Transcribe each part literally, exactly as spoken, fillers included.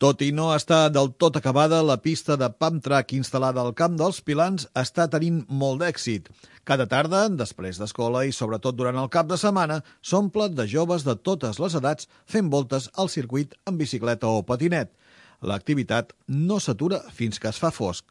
Tot i no estar del tot acabada, la pista de pump track instal·lada al Camp dels Pilans està tenint molt d'èxit. Cada tarda, després d'escola i sobretot durant el cap de setmana, s'omple de joves de totes les edats fent voltes al circuit en bicicleta o patinet. L'activitat no s'atura fins que es fa fosc.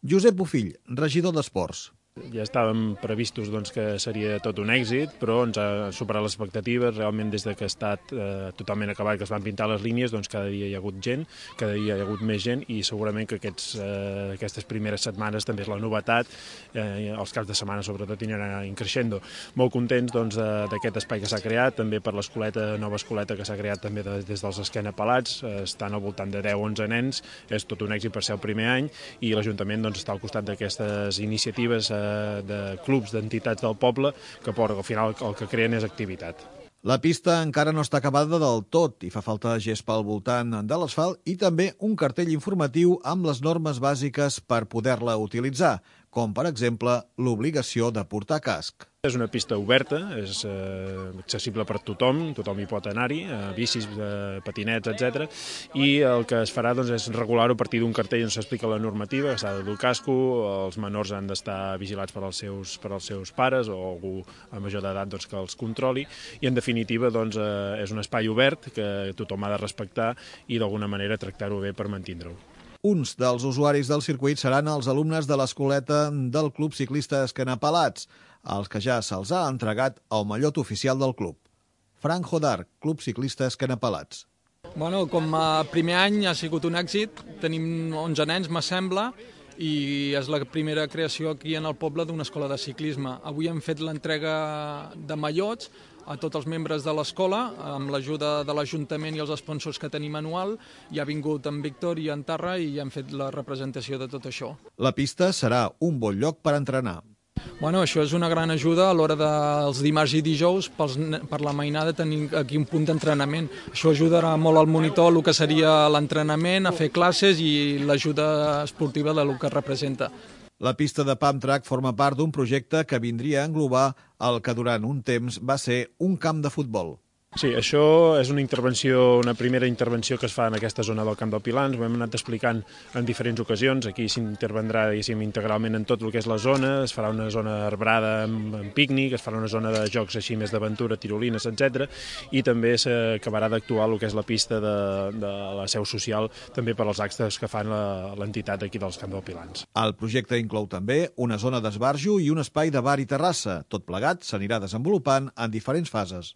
Josep Bofill, regidor d'Esports. Ja estàvem previstos doncs, que seria tot un èxit, però ens ha superat les expectatives. Realment, des de que ha estat eh, totalment acabat, que es van pintar les línies, doncs cada dia hi ha hagut gent, cada dia hi ha hagut més gent, i segurament que aquests, eh, aquestes primeres setmanes també és la novetat. Eh, els caps de setmana, sobretot, aniran increixendo. Molt contents doncs, d'aquest espai que s'ha creat, també per l'escoleta, nova escoleta que s'ha creat també de, des dels Esquena Pelats. Eh, estan al voltant de deu o onze nens, és tot un èxit per ser el primer any, i l'Ajuntament doncs, està al costat d'aquestes iniciatives eh, de clubs, d'entitats del poble, que al final el que creen és activitat. La pista encara no està acabada del tot i fa falta gespa al voltant de l'asfalt i també un cartell informatiu amb les normes bàsiques per poder-la utilitzar, com per exemple l'obligació de portar casc. És una pista oberta, és eh, accessible per tothom, tothom hi pot anar-hi, eh, bicis, eh, patinets, etcètera. I el que es farà doncs, és regular-ho a partir d'un cartell on s'explica la normativa, que s'ha de dur casco, els menors han d'estar vigilats per als seus, per als seus pares o algú a major d'edat doncs, que els controli, i en definitiva doncs, eh, és un espai obert que tothom ha de respectar i d'alguna manera tractar-ho bé per mantindre-ho. Uns dels usuaris del circuit seran els alumnes de l'escoleta del Club Ciclista Esquena Pelats, als que ja se'ls ha entregat el mallot oficial del club. Frank Hodar, Club Ciclista Esquena Pelats. Bueno, com a primer any ha sigut un èxit, tenim onze nens, m'assembla, i és la primera creació aquí en el poble d'una escola de ciclisme. Avui hem fet l'entrega de mallots a tots els membres de l'escola, amb l'ajuda de l'Ajuntament i els sponsors que tenim anual. Hi ha vingut en Víctor i en Tarra i hem fet la representació de tot això. La pista serà un bon lloc per entrenar. Bueno, això és una gran ajuda a l'hora dels dimarts i dijous pels, per la mainada tenir aquí un punt d'entrenament. Això ajudarà molt al monitor el que seria l'entrenament, a fer classes i l'ajuda esportiva del que representa. La pista de pump track forma part d'un projecte que vindria a englobar el que durant un temps va ser un camp de futbol. Sí, això és una intervenció, una primera intervenció que es fa en aquesta zona del Camp del Pilans. Ho hem anat explicant en diferents ocasions. Aquí s'intervendrà integralment en tot el que és la zona. Es farà una zona arbrada amb, amb pícnic, es farà una zona de jocs així més d'aventura, tirolines, etcètera. I també s'acabarà d'actuar el que és la pista de, de la seu social també per als actes que fan l'entitat aquí dels Camp del Pilans. El projecte inclou també una zona d'esbarjo i un espai de bar i terrassa. Tot plegat s'anirà desenvolupant en diferents fases.